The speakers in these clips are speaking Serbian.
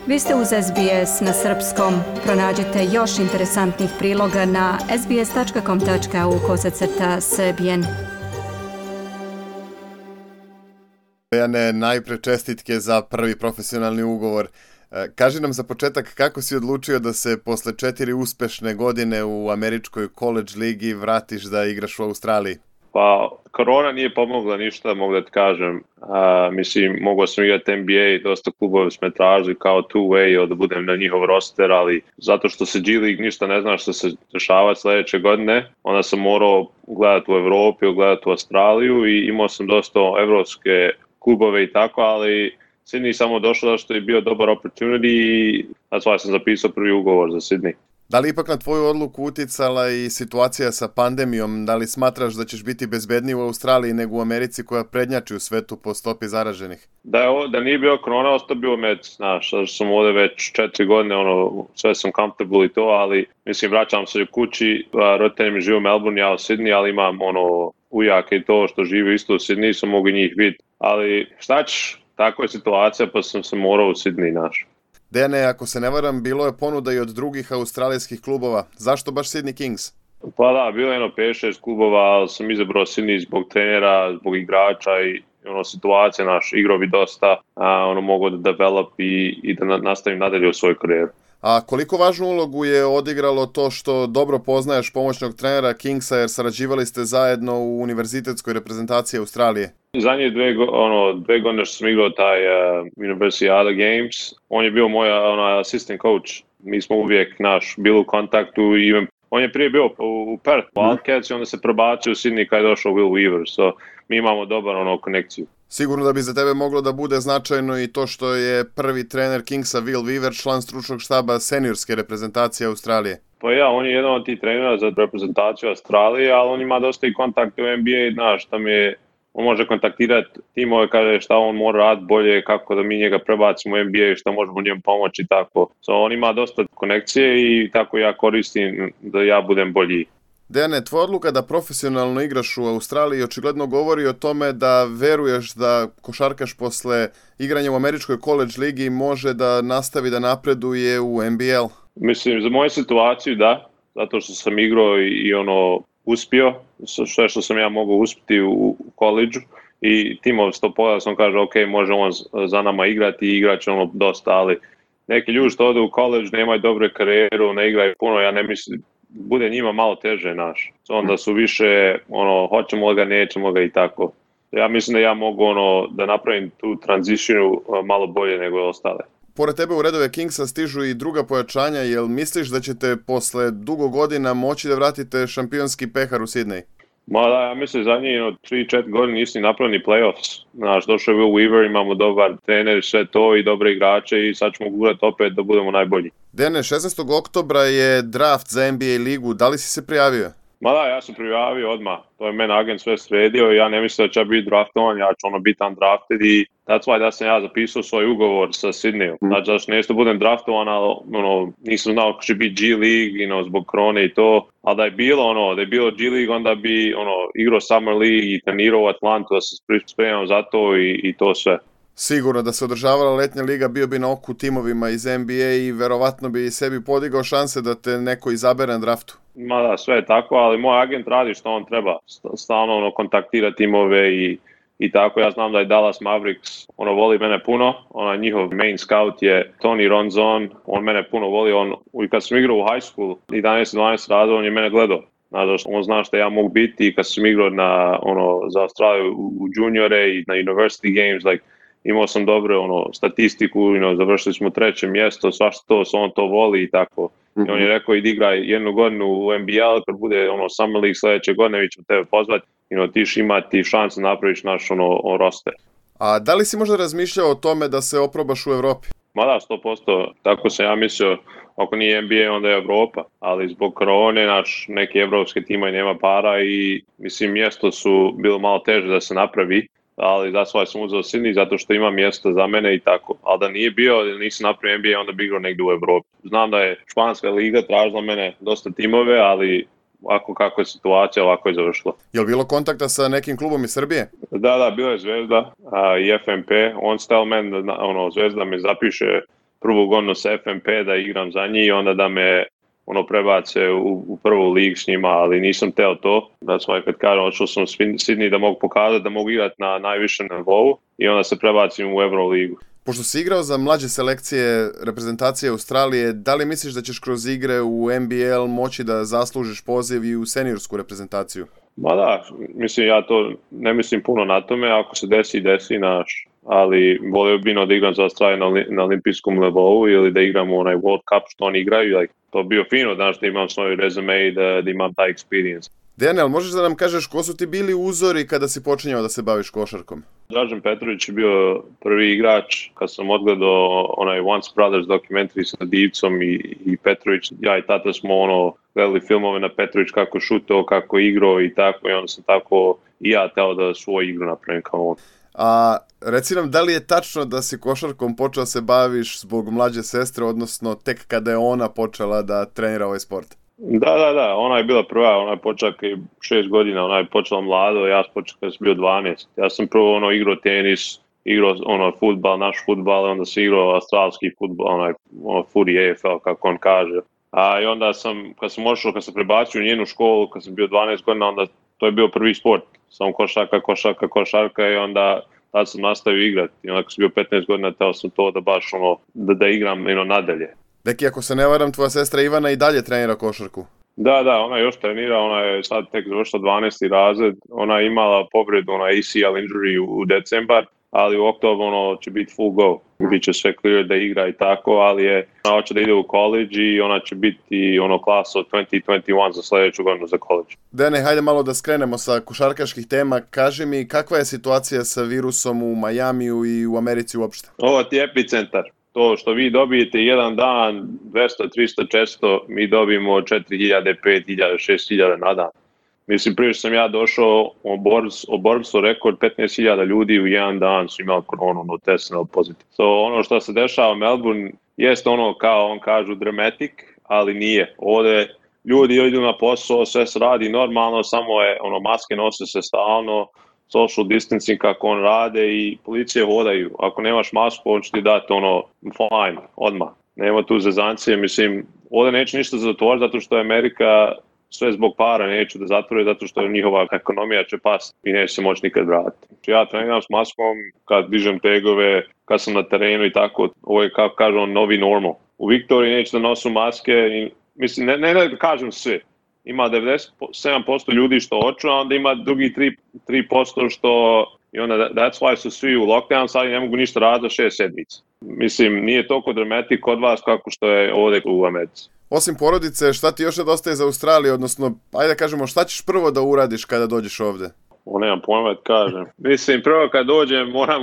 Vi ste uz SBS na srpskom. Pronađite još interesantnih priloga na sbs.com.au/srbijen. Dejane, najpre čestitke za prvi profesionalni ugovor. Kaži nam za početak kako si odlučio da se posle 4 uspešne godine u američkoj college ligi vratiš da igraš u Australiji? Pa, korona nije pomogla ništa, mogu da ti kažem. Mogao sam igrati NBA, dosta klubova smo tražili kao two-way da budem na njihov roster, ali zato što se G League ništa ne zna što se dešava sledeće godine, onda sam morao gledati u Evropi, gledati u Australiju i imao sam dosta evropske klubove i tako, ali Sydney samo došao da što je bio dobar opportunity i that's why sam zapisao prvi ugovor za Sydney. Da li ipak na tvoju odluku uticala i situacija sa pandemijom? Da li smatraš da ćeš biti bezbedniji u Australiji nego u Americi koja prednjači u svetu po stopi zaraženih? Da nije bio korona, ostao bio Americi, znaš, što sam ovde već 4 godine, sve sam comfortable i to, ali vraćam se u kući, roditelji mi žive u Melbourne, ja u Sydney, ali imam ujake i to što žive isto u Sydney, sam mogu njih vidjeti, ali šta ćeš, takva je situacija, pa sam se morao u Sydney, znaš. Dejane, ako se ne varam, bilo je ponuda i od drugih australijskih klubova. Zašto baš Sydney Kings? Pa da, bilo je 5-6 klubova, ali sam izabrao Sydney zbog trenera, zbog igrača i situacija, igrao bi dosta, mogu da develop i da nastavim nadalje u svoj karijeru. A koliko važnu ulogu je odigralo to što dobro poznaješ pomoćnog trenera Kingsa jer sarađivali ste zajedno u univerzitetskoj reprezentaciji Australije? Zadnje dve godine što sam igrao taj Universiada Games, on je bio moj assistant coach. Mi smo uvijek bili u kontaktu i on je prije bio u Perth Wildcats i onda se prebacio u Sydney kad je došao Will Weaver, so mi imamo dobar konekciju. Sigurno da bi za tebe moglo da bude značajno i to što je prvi trener Kingsa Will Weaver član stručnog štaba seniorske reprezentacije Australije. Pa ja, on je jedan od tih trenera za reprezentaciju Australije, ali on ima dosta i kontakte u NBA, on može kontaktirati timove, kaže šta on mora raditi bolje, kako da mi njega prebacimo u NBA, šta možemo njemu pomoći i tako. On ima dosta konekcije i tako ja koristim da ja budem bolji. Dejane, tvoja odluka da profesionalno igraš u Australiji očigledno govori o tome da veruješ da košarkaš posle igranja u američkoj college ligi može da nastavi da napreduje u NBL. Za moju situaciju da, zato što sam igrao i uspio, sve što sam ja mogao uspjeti u koleđu i timov 100% sam kaže ok, može on za nama igrati i igrat će dosta, ali neki ljudi što ode u koleđ nemaju dobre karijeru, ne igraju puno, ja ne mislim, bude njima malo teže onda su više hoćemo ga, nećemo ga i tako. Ja mislim da ja mogu da napravim tu tranziciju malo bolje nego ostale. Pored tebe u redove Kingsa stižu i druga pojačanja, jel misliš da ćete posle dugo godina moći da vratite šampionski pehar u Sydney? Ma da, ja mislim zadnjih 3-4 godine nisi napravili ni playoffs. Došao je Will Weaver, imamo dobar trener, sve to i dobre igrače i sad ćemo gurati opet da budemo najbolji. Dene, 16. oktobra je draft za NBA ligu, da li si se prijavio? Ma da, ja sam prijavio odmah, to je meni agent sve sredio i ja ne mislim da će biti draftovan, ja ću biti undrafted i that's why da sam ja zapisao svoj ugovor sa Sydneyom. Znači da nešto budem draftovan, ali nisam znao kako će biti G League, zbog korone i to, ali da je bilo G League, onda bi igrao Summer League i trenirao u Atlantu, da se spremam za to i to sve. Sigurno da se održavala letnja liga, bio bi na oku timovima iz NBA i verovatno bi sebi podigao šanse da te neko izabere na draftu. Ma da, sve je tako, ali moj agent radi što on treba, stalno kontaktira timove i tako. Ja znam da je Dallas Mavericks, voli mene puno, njihov main scout je Tony Ronzon, on mene puno voli, i kad sam igrao u high school, 11-12 razreda, on je mene gledao. On zna što ja mogu biti i kad sam igrao za Australiju u juniore i na university games, imao sam dobro statistiku, završili smo 3. mjesto, svašta to, on to voli i tako. I on je rekao idi igraj 1 godinu u NBL, kad bude Summer League sljedeće godine, mi ćemo tebe pozvati, ti ćeš imati šansu da napraviš naš roster. A da li si možda razmišljao o tome da se oprobaš u Evropi? Ma da, 100%, tako sam ja mislio, ako nije NBA onda je Evropa, ali zbog korone neki evropski tima nema para i mjesto su bilo malo teže da se napravi. Ali that's why sam uzeo Sydney, zato što ima mjesto za mene i tako. Ali da nije bio, da nisam napravio NBA, onda bi igrao negdje u Evropi. Znam da je španska liga tražila mene dosta timove, ali kako je situacija, ovako je završilo. Je li bilo kontakta sa nekim klubom iz Srbije? Da, bio je Zvezda i FNP. On stel men, Zvezda me zapiše prvu godinu sa FNP da igram za njih i onda da me prebace u prvu ligu s njima, ali nisam teo to. That's why kad kažem, odšao sam u Sydney da mogu pokazati da mogu igrati na najvišem nivou i onda se prebacim u Euroligu. Pošto si igrao za mlađe selekcije reprezentacije Australije, da li misliš da ćeš kroz igre u NBL moći da zaslužiš poziv i u seniorsku reprezentaciju? Ma da, mislim, ja to ne mislim puno na tome, ako se desi naš, ali volio bi da igram za Australiju na olimpijskom nivou ili da igram u onaj World Cup što oni igraju, to bio fino, znaš, da imam svoj resume i da imam taj experience. Daniel, možeš da nam kažeš ko su ti bili uzori kada si počinjao da se baviš košarkom? Dražen Petrović je bio prvi igrač kad sam odgledao onaj Once Brothers dokumentari sa Divcom i Petrović. Ja i tata smo gledali filmove na Petrović kako šutao, kako igrao i tako, i onda sam tako i ja teo da svoju igru napravim kao on. A reci nam, da li je tačno da si košarkom počeo se baviš zbog mlađe sestre, odnosno tek kada je ona počela da trenira ovaj sport? Da, ona je bila prva, ona je počela 6 godina, ona je počela mlado, ja sam počeo kada sam bio 12. Ja sam prvo igrao tenis, igrao fudbal, naš fudbal, onda sam igrao australski fudbal, footy AFL, kako on kaže. A i onda kad sam prebacio u njenu školu, kad sam bio 12 godina, onda to je bio prvi sport. Samo košarka i onda tad sam nastavio igrati. I onda kad sam bio 15 godina, teo sam to da baš da igram nadalje. Deki, ako se ne varam, tvoja sestra Ivana i dalje trenira košarku. Da, ona još trenira, ona je sad tek završila 12. razred, ona je imala povredu, ACL injury u decembar, ali u oktobru će biti full go. Biće sve clear da igra i tako, ali ona hoće da ide u college i ona će biti klasa od 2021 za sljedeću godinu za college. Dene, hajde malo da skrenemo sa košarkaških tema. Kaži mi, kakva je situacija sa virusom u Majamiju i u Americi uopšte? Ovo ti je epicentar. To što vi dobijete jedan dan 200, 300, 400, mi dobijemo 4000, 5000, 6000 na dan. Mislim, prije što sam ja došao u Borbsu rekord 15.000 ljudi u jedan dan su imali koronu, testirali pozitiv. Ono što se dešava u Melbourne jest kao on kažu dramatic, ali nije. Ovdje ljudi idu na posao, sve se radi normalno, samo je maske nose se stalno, social distancing kako on rade i policije hodaju. Ako nemaš masku, on će ti dati fine, odmah. Nema tu zezancije, mislim, ovdje neće ništa zatvoriti zato što je Amerika sve zbog para neće da zatvore zato što njihova ekonomija će pasti i neće se moći nikad vratiti. Ja treniram s maskom kad dižem tegove, kad sam na terenu i tako, ovo je kako kažu novi normal. U Viktoriji neće da nosu maske i mislim, ne da kažem sve. Ima 97% ljudi što hoću, a onda ima drugi 3% što i onda that's why su svi u lockdown, sad ne mogu ništa raditi 6 sedmica. Mislim, nije toliko dramatik kod vas kako što je ovdje u Americi. Osim porodice, šta ti još nedostaje za Australiju, odnosno, ajde da kažemo, šta ćeš prvo da uradiš kada dođeš ovdje? Nemam pojma da kažem. Mislim, prvo kad dođem moram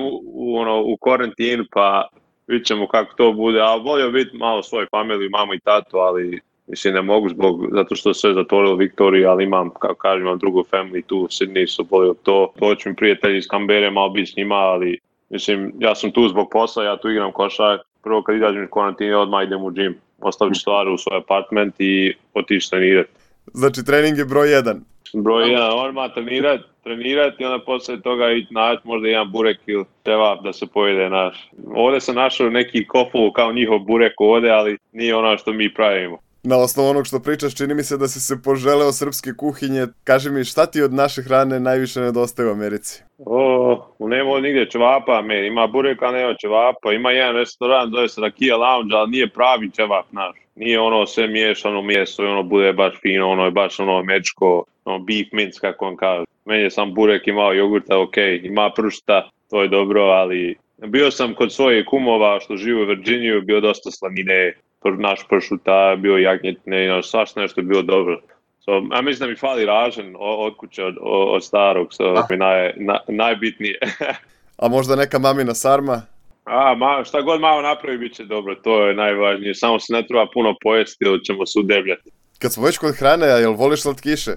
u karantinu, pa vidit ćemo kako to bude, a volio biti malo svoje familiju, mamu i tatu, ali mislim ne mogu zato što sve zatvorilo Viktoriju, ali imam, kako kažem, imam drugu family tu u Sydney, su volio to. Doći mi prijatelji iz Canberre, malo biti s njima, ali mislim, ja sam tu zbog posla, ja tu igram košark. Prvo kad izađem iz karantine, odmah idem u gym. Ostavit ću stvari u svoj apartment i otići trenirati. Znači trening je broj 1. Broj 1, odmah trenirati i onda poslije toga i naći možda jedan burek ili ćevap da se pojede naš. Ovdje sam našao neki koful kao njihov burek ovdje, ali nije ono što mi pravimo. Na osnovu onog što pričaš, čini mi se da si se poželeo srpske kuhinje. Kaži mi, šta ti od naše hrane najviše nedostaje u Americi? Nema nigdje ćevapa, ima bureka, nema ćevapa. Ima jedan restoran, zove se Rakija Lounge, ali nije pravi ćevap naš. Nije sve miješano meso i bude baš fino, je baš američko, beef mince, kako on kaže. Meni je sam burek imao jogurta, ima pršta, to je dobro, ali bio sam kod svojih kumova što žive u Virginiju, bio dosta slanine. Naš pršuta, bio jagnjetne, svašta nešto je bilo dobro. Ja mislim da mi fali ražen od kuće, od starog, mi najbitnije. A možda neka mamina sarma? Šta god malo napravi bit će dobro, to je najvažnije. Samo se ne treba puno pojesti ili ćemo se udebljati. Kad smo već kod hrane, a jel voliš slatkiše?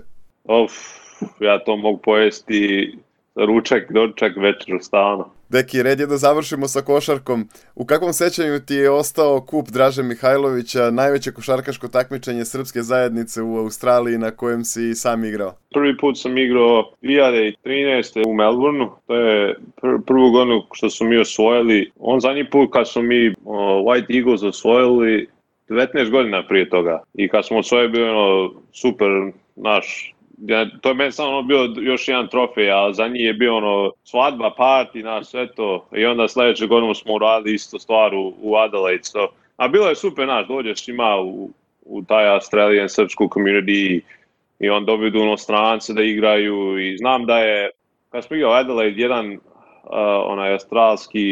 Ja to mogu pojesti ručak, doručak, večer, stalno. Deki, red je da završimo sa košarkom. U kakvom sećanju ti je ostao kup Draže Mihajlovića, najveće košarkaško takmičenje srpske zajednice u Australiji na kojem si sam igrao? Prvi put sam igrao 2013. u Melbourneu, to je prvu godinu što su mi osvojili. On zadnji put kad su mi White Eagles osvojili 19 godina prije toga. I kad smo osvojili bio super naš. To je meni samo bio još jedan trofej, a za njih je bio svadba, party, sve to. I onda sljedeće godinu smo uradili isto stvar u Adelaide. A bilo je super, dođeš ima u taj Australian srpsku community i on dovedu strance da igraju. I znam da je, kad smo igrali Adelaide, jedan onaj australski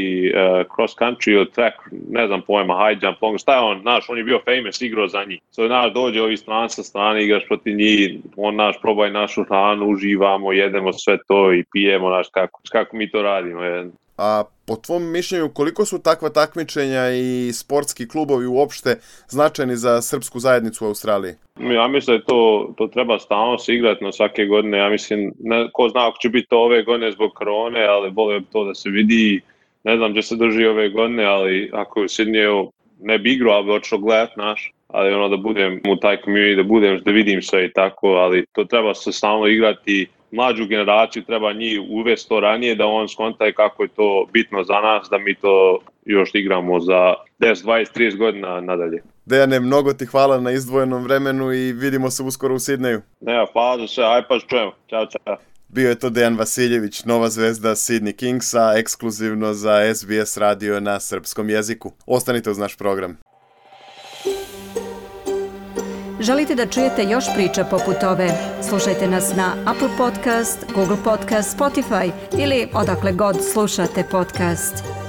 cross country ili track, ne znam pojma, high jump, long, šta je on, on je bio famous, igrao za njih. Dođe ovi stranac sa strane, igraš protiv njih, on probaj našu hranu, uživamo, jedemo sve to i pijemo, kako mi to radimo. A po tvom mišljenju, koliko su takva takmičenja i sportski klubovi uopšte značajni za srpsku zajednicu u Australiji? Ja mislim da to treba stalno se igrati na svake godine. Ja mislim, ko zna ako će biti to ove godine zbog korone, ali bolje to da se vidi. Ne znam gdje se drži ove godine, ali ako je u Sydneyu ne bi igrao, ali bi otišao gledat ali da budem u taj community, da vidim sve i tako, ali to treba se stalno igrati. Mlađu generaciju treba njih uvesti to ranije, da on skonta kako je to bitno za nas, da mi to još igramo za 10, 20, 30 godina nadalje. Dejane, mnogo ti hvala na izdvojenom vremenu i vidimo se uskoro u Sidneju. Hvala za sve, aj pa čujemo. Ćao. Bio je to Dejan Vasiljević, nova zvezda Sydney Kingsa, ekskluzivno za SBS radio na srpskom jeziku. Ostanite uz naš program. Želite da čujete još priča poput ove? Slušajte nas na Apple Podcast, Google Podcast, Spotify ili odakle god slušate podcast.